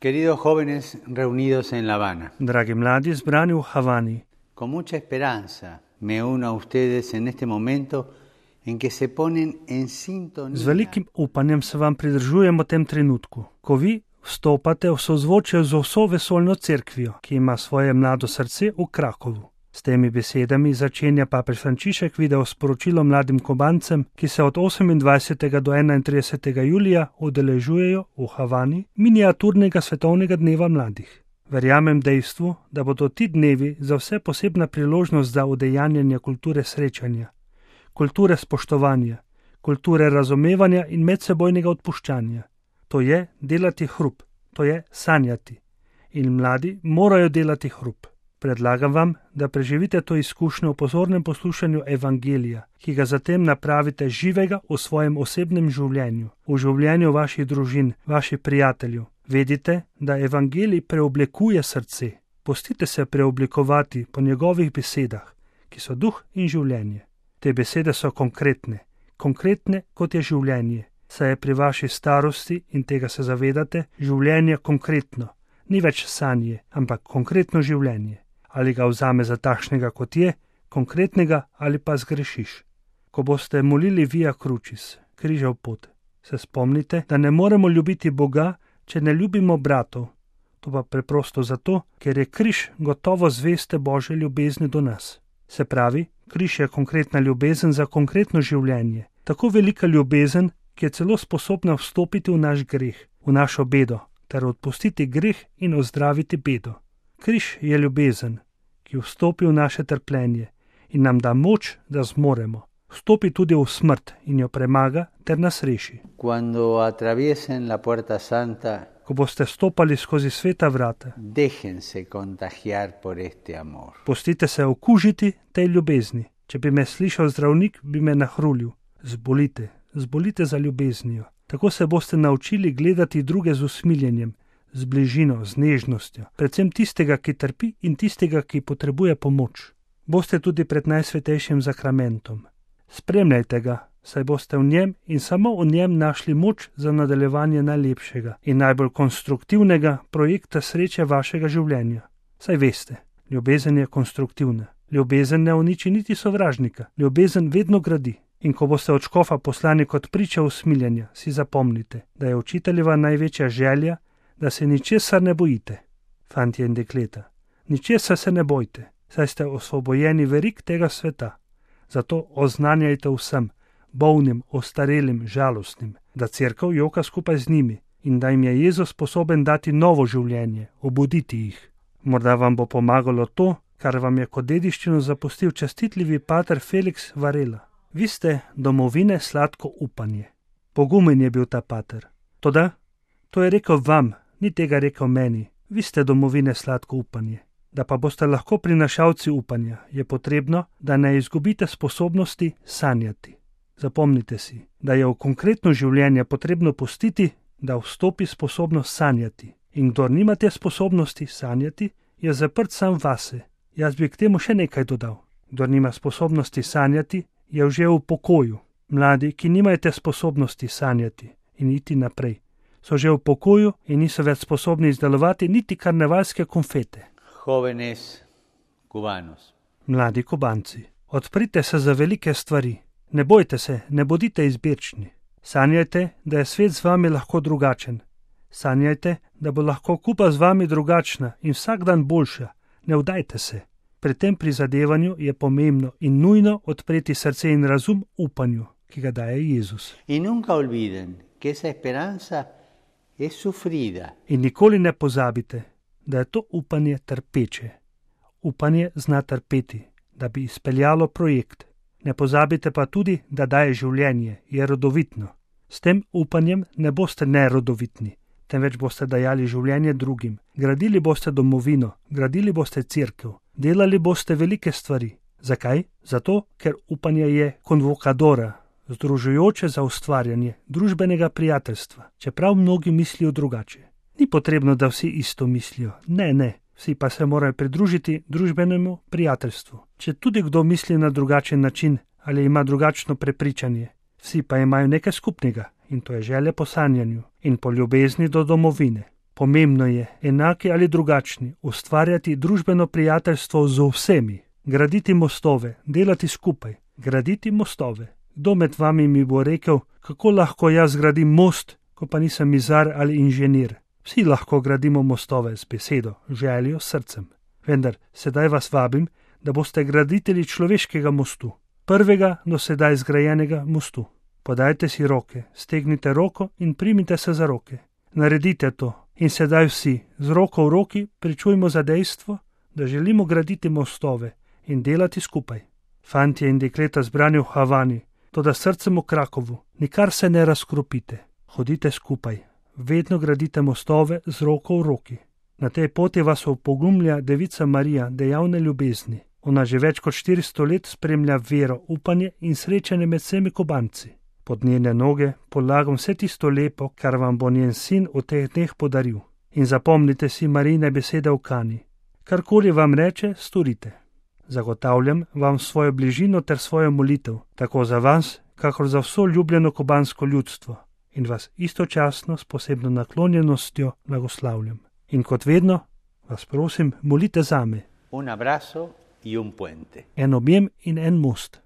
Queridos jóvenes reunidos en La Habana, Dragi mladi zbrani v Havani, con mucha esperanza me uno a ustedes en este momento en que se ponen en sintonía. z velikim upanjem se vam pridržujem v tem trenutku, ko vi vstopate v sozvočje z vso vesoljno cerkvijo, ki ima svoje mlado srce v Krakovu. S temi besedami začenja papež Frančišek video sporočilo mladim Kubancem, ki se od 28. do 31. julija udeležujejo v Havani miniaturnega svetovnega dneva mladih. Verjamem dejstvu, da bodo ti dnevi za vse posebna priložnost za udejanjanje kulture srečanja, kulture spoštovanja, kulture razumevanja in medsebojnega odpuščanja. To je delati hrup, to je sanjati. In mladi morajo delati hrup. Predlagam vam, da preživite to izkušnjo v pozornem poslušanju evangelija, ki ga zatem napravite živega v svojem osebnem življenju, v življenju vaših družin, vaših prijateljev. Vedite, da evangelij preoblikuje srce. Pustite se preoblikovati po njegovih besedah, ki so duh in življenje. Te besede so konkretne kot je življenje, saj je pri vaši starosti, in tega se zavedate, življenje konkretno. Ni več sanje, ampak konkretno življenje. Ali ga vzame za takšnega, kot je, konkretnega, ali pa zgrešiš. Ko boste molili Via Crucis, križev pot, se spomnite, da ne moremo ljubiti Boga, če ne ljubimo bratov. To pa preprosto zato, ker je križ gotovo zveste Božje ljubezni do nas. Se pravi, križ je konkretna ljubezen za konkretno življenje. Tako velika ljubezen, ki je celo sposobna vstopiti v naš greh, v našo bedo, ter odpustiti greh in ozdraviti bedo. Križ je ljubezen, ki vstopi v naše trpljenje in nam da moč, da zmoremo. Vstopi tudi v smrt in jo premaga ter nas reši. Cuando atraviesen la puerta santa, Ko boste stopali skozi sveta vrata, déjense contagiar por este amor. pustite se okužiti tej ljubezni. Če bi me slišal zdravnik, bi me nahrulil. Zbolite za ljubeznijo. Tako se boste naučili gledati druge z usmiljenjem, z bližino, z nežnostjo, predvsem tistega, ki trpi in tistega, ki potrebuje pomoč. Boste tudi pred najsvetejšim zakramentom. Spremljajte ga, saj boste v njem in samo v njem našli moč za nadaljevanje najlepšega in najbolj konstruktivnega projekta sreče vašega življenja. Saj veste, ljubezen je konstruktivna. Ljubezen ne uniči niti sovražnika, ljubezen vedno gradi. In ko boste od škofa poslani kot priča usmiljenja, si zapomnite, da je učiteljeva največja želja, da se ničesar ne bojite. Fantje in dekleta, ničesar se ne bojte, saj ste osvobojeni verig tega sveta. Zato oznanjajte vsem, bolnim, ostarelim, žalostnim, da cerkev joka skupaj z njimi in da jim je Jezus sposoben dati novo življenje, obuditi jih. Morda vam bo pomagalo to, kar vam je kot dediščino zapustil častitljivi pater Felix Varela. Vi ste domovine sladko upanje. Pogumen je bil ta pater. Toda, to je rekel vam, ni tega rekel meni. Vi ste domovine sladko upanje. Da pa boste lahko prinašalci upanja, je potrebno, da ne izgubite sposobnosti sanjati. Zapomnite si, da je v konkretno življenje potrebno pustiti, da vstopi sposobnost sanjati. In kdor nima te sposobnosti sanjati, je zaprt sam vase. Jaz bi k temu še nekaj dodal. Kdor nima sposobnosti sanjati, je že v pokoju. Mladi, ki nimajo te sposobnosti sanjati in iti naprej, so že v pokoju in niso več sposobni izdelovati niti karnevalske konfete. Jóvenes cubanos, Mladi Kubanci, odprite se za velike stvari. Ne bojte se, ne bodite izbirčni. Sanjajte, da je svet z vami lahko drugačen. Sanjajte, da bo lahko Kuba z vami drugačna in vsak dan boljša. Ne vdajte se. Pri tem prizadevanju je pomembno in nujno odpreti srce in razum upanju, ki ga daje Jezus. y nunca olviden que esa esperanza es sufrida. In nikoli ne pozabite, da je to upanje trpeče. Upanje zna trpeti, da bi izpeljalo projekt. Ne pozabite pa tudi, da daje življenje, je rodovitno. S tem upanjem ne boste nerodovitni, temveč boste dajali življenje drugim. Gradili boste domovino, gradili boste cerkev, delali boste velike stvari. Zakaj? Zato, ker upanje je konvokadora, združujoče za ustvarjanje družbenega prijateljstva, čeprav mnogi mislijo drugače. Ni potrebno, da vsi isto mislijo. Ne. Vsi pa se morajo pridružiti družbenemu prijateljstvu. Če tudi kdo misli na drugačen način ali ima drugačno prepričanje, vsi pa imajo nekaj skupnega in to je želja po sanjanju in po ljubezni do domovine. Pomembno je, enaki ali drugačni, ustvarjati družbeno prijateljstvo z vsemi, graditi mostove, delati skupaj, graditi mostove. Kdo med vami mi bo rekel, kako lahko jaz zgradim most, ko pa nisem mizar ali inženir? Vsi lahko gradimo mostove z besedo, željo, srcem. Vendar sedaj vas vabim, da boste graditelji človeškega mostu, prvega do sedaj zgrajenega mostu. Podajte si roke, stegnite roko in primite se za roke. Naredite to in sedaj vsi, z roko v roki, pričujmo za dejstvo, da želimo graditi mostove in delati skupaj. Fantje in dekleta zbrani v Havani, toda srcem v Krakovu, nikar se ne razkropite. Hodite skupaj, vedno gradite mostove z roko v roki. Na tej poti vas opogumlja Devica Marija dejavne ljubezni. Ona že več kot 400 let spremlja vero, upanje in srečanje med vsemi Kubanci. Pod njene noge polagam vse tisto lepo, kar vam bo njen sin v teh dneh podaril. In zapomnite si Marijine besede v Kani. Karkoli vam reče, storite. Zagotavljam vam svojo bližino ter svojo molitev, tako za vas, kakor za vso ljubljeno kubansko ljudstvo. In vas istočasno s posebno naklonjenostjo blagoslavljam. In kot vedno, vas prosim, molite zame. Un abrazo y un puente. En objem in en most.